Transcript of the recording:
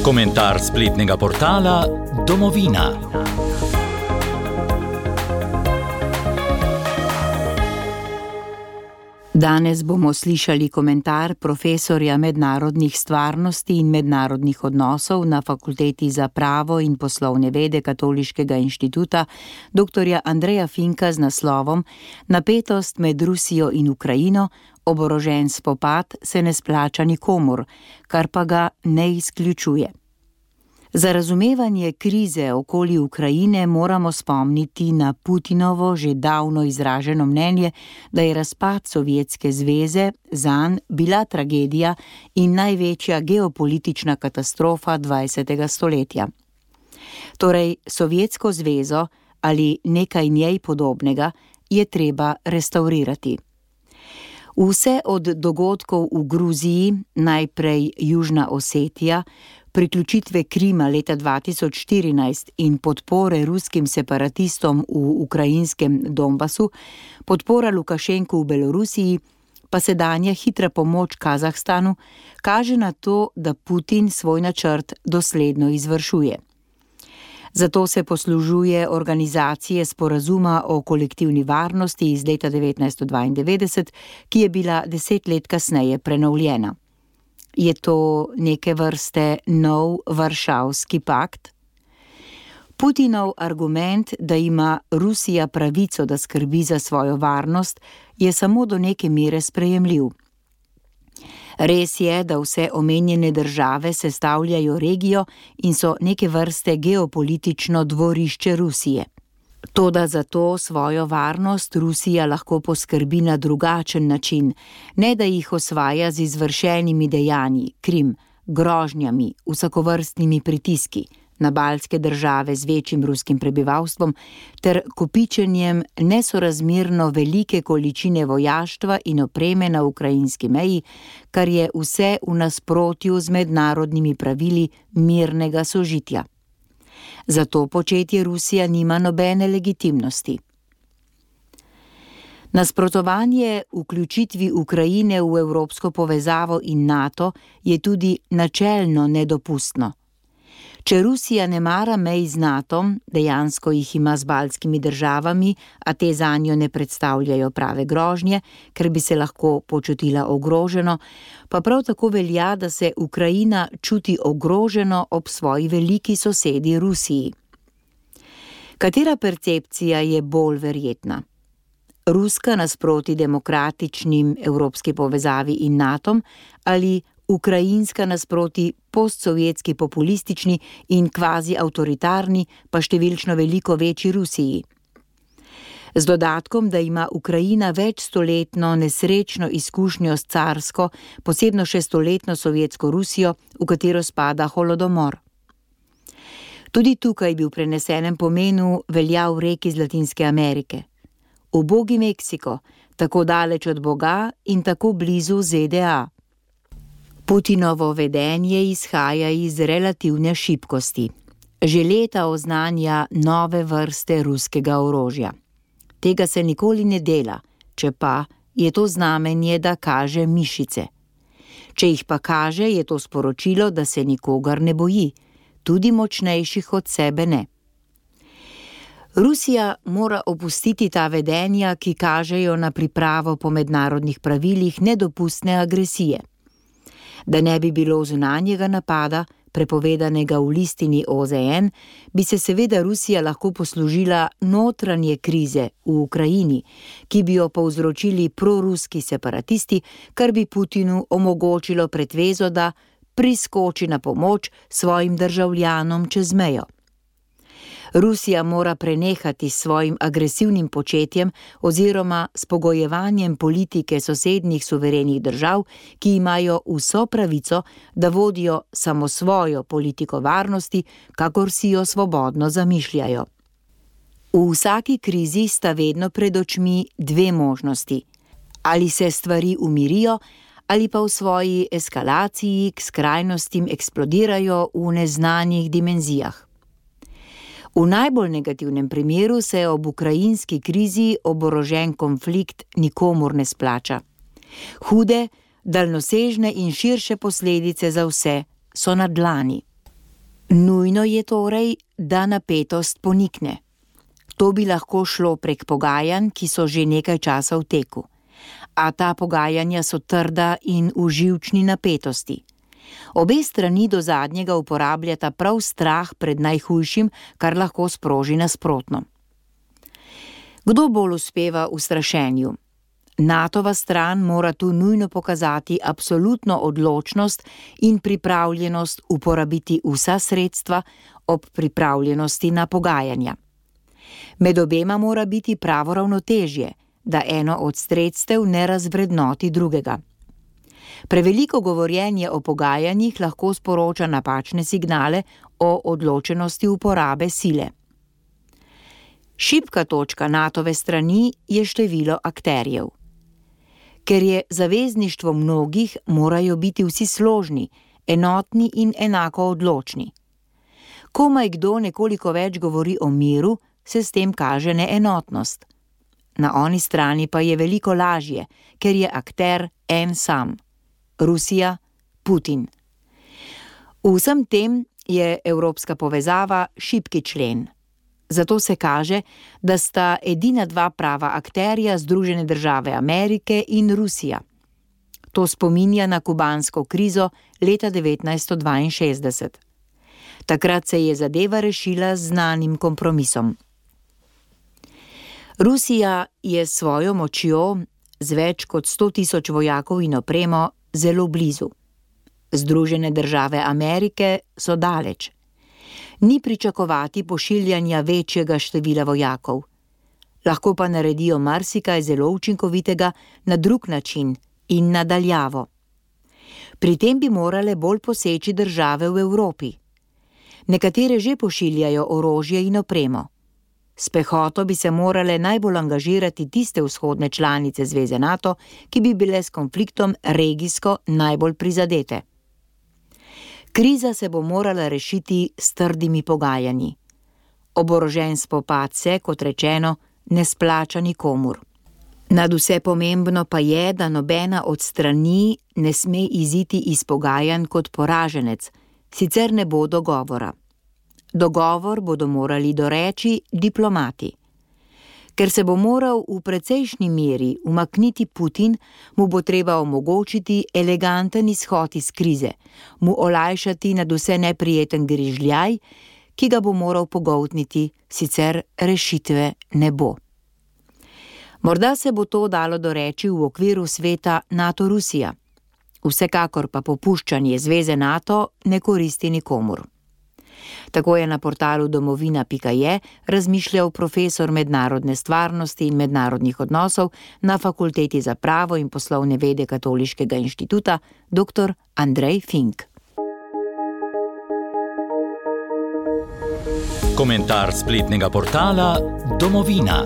Komentar spletnega portala Domovina. Danes bomo slišali komentar profesorja mednarodnih stvarnosti in mednarodnih odnosov na Fakulteti za pravo in poslovne vede Katoliškega inštituta dr. Andreja Finka z naslovom Napetost med Rusijo in Ukrajino, oborožen spopad se ne splača nikomur, kar pa ga ne izključuje. Za razumevanje krize okoli Ukrajine moramo spomniti na Putinovo že davno izraženo mnenje, da je razpad Sovjetske zveze zanj bila tragedija in največja geopolitična katastrofa 20. stoletja. Torej, Sovjetsko zvezo ali nekaj njej podobnega je treba restaurirati. Vse od dogodkov v Gruziji, najprej Južna Osetija, priključitve Krima leta 2014 in podpore ruskim separatistom v ukrajinskem Donbasu, podpora Lukašenku v Belorusiji, pa sedanja hitra pomoč Kazahstanu, kaže na to, da Putin svoj načrt dosledno izvršuje. Zato se poslužuje organizacije sporazuma o kolektivni varnosti iz leta 1992, ki je bila 10 let kasneje prenovljena. Je to neke vrste nov Varšavski pakt? Putinov argument, da ima Rusija pravico, da skrbi za svojo varnost, je samo do neke mere sprejemljiv. Res je, da vse omenjene države sestavljajo regijo in so neke vrste geopolitično dvorišče Rusije. Toda za to svojo varnost Rusija lahko poskrbi na drugačen način, ne da jih osvaja z izvršenimi dejanji, Krim, grožnjami, vsakovrstnimi pritiski na baltske države z večjim ruskim prebivalstvom ter kopičenjem nesorazmerno velike količine vojaštva in opreme na ukrajinski meji, kar je vse v nasprotju z mednarodnimi pravili mirnega sožitja. Za to početje Rusija nima nobene legitimnosti. Nasprotovanje vključitvi Ukrajine v evropsko povezavo in NATO je tudi načelno nedopustno. Če Rusija ne mara mej z NATO-om, dejansko jih ima z baltskimi državami, a te zanjo ne predstavljajo prave grožnje, ker bi se lahko počutila ogroženo, pa prav tako velja, da se Ukrajina čuti ogroženo ob svoji veliki sosedi Rusiji. Katera percepcija je bolj verjetna? Ruska nasproti demokratičnim evropski povezavi in NATO-om ali ukrajinska nasproti postsovjetski populistični in kvazi avtoritarni, pa številčno veliko večji Rusiji? Z dodatkom, da ima Ukrajina večstoletno nesrečno izkušnjo s carsko, posebno še stoletno sovjetsko Rusijo, v katero spada holodomor. Tudi tukaj bi v prenesenem pomenu veljal rek iz Latinske Amerike. Ubogi Meksiko, tako daleč od Boga in tako blizu ZDA. Putinovo vedenje izhaja iz relativne šibkosti. Že leta oznanja nove vrste ruskega orožja. Tega se nikoli ne dela, če pa je to znamenje, da kaže mišice. Če jih pa kaže, je to sporočilo, da se nikogar ne boji, tudi močnejših od sebe ne. Rusija mora opustiti ta vedenja, ki kažejo na pripravo po mednarodnih pravilih nedopustne agresije. Da ne bi bilo zunanjega napada, prepovedanega v listini OZN, bi se seveda Rusija lahko poslužila notranje krize v Ukrajini, ki bi jo povzročili proruski separatisti, kar bi Putinu omogočilo pretvezo, da priskoči na pomoč svojim državljanom čez mejo. Rusija mora prenehati s svojim agresivnim početjem oziroma s pogojevanjem politike sosednjih suverenih držav, ki imajo vso pravico, da vodijo samo svojo politiko varnosti, kakor si jo svobodno zamišljajo. V vsaki krizi sta vedno pred očmi dve možnosti. Ali se stvari umirijo, ali pa v svoji eskalaciji k skrajnostim eksplodirajo v neznanih dimenzijah. V najbolj negativnem primeru se ob ukrajinski krizi oborožen konflikt nikomur ne splača. Hude, daljnosežne in širše posledice za vse so na dlani. Nujno je torej, da napetost ponikne. To bi lahko šlo prek pogajanj, ki so že nekaj časa v teku. A ta pogajanja so trda in v živčni napetosti. Obe strani do zadnjega uporabljata prav strah pred najhujšim, kar lahko sproži nasprotno. Kdo bolj uspeva v strašenju? NATO-va stran mora tu nujno pokazati absolutno odločnost in pripravljenost uporabiti vsa sredstva ob pripravljenosti na pogajanja. Med obema mora biti pravo ravnotežje, da eno od sredstev ne razvrednoti drugega. Preveliko govorjenje o pogajanjih lahko sporoča napačne signale o odločenosti uporabe sile. Šibka točka NATO-ve strani je število akterjev. Ker je zavezništvo mnogih, morajo biti vsi složni, enotni in enako odločni. Komaj kdo nekoliko več govori o miru, se s tem kaže neenotnost. Na oni strani pa je veliko lažje, ker je akter en sam. Rusija, Putin. V vsem tem je evropska povezava šibki člen. Zato se kaže, da sta edina dva prava akterja Združene države Amerike in Rusija. To spominja na kubansko krizo leta 1962. Takrat se je zadeva rešila z znanim kompromisom. Rusija je s svojo močjo, z več kot 100.000 vojakov in opremo, zelo blizu. Združene države Amerike so daleč. Ni pričakovati pošiljanja večjega števila vojakov. Lahko pa naredijo marsikaj zelo učinkovitega na drug način in na daljavo. Pri tem bi morale bolj poseči države v Evropi. Nekatere že pošiljajo orožje in opremo. S pehoto bi se morale najbolj angažirati tiste vzhodne članice Zveze NATO, ki bi bile s konfliktom regijsko najbolj prizadete. Kriza se bo morala rešiti s trdimi pogajanji. Oborožen spopad se, kot rečeno, ne splača nikomur. Nadvse pomembno pa je, da nobena od strani ne sme iziti iz pogajanj kot poraženec, sicer ne bo dogovora. Dogovor bodo morali doreči diplomati. Ker se bo moral v precejšnji meri umakniti Putin, mu bo treba omogočiti eleganten izhod iz krize, mu olajšati nadvse neprijeten grižljaj, ki ga bo moral pogoltniti, sicer rešitve ne bo. Morda se bo to dalo doreči v okviru sveta NATO-Rusija. Vsekakor pa popuščanje Zveze NATO ne koristi nikomur. Tako je na portalu domovina.je razmišljal profesor mednarodne stvarnosti in mednarodnih odnosov na Fakulteti za pravo in poslovne vede Katoliškega inštituta dr. Andrej Fink. Komentar spletnega portala Domovina.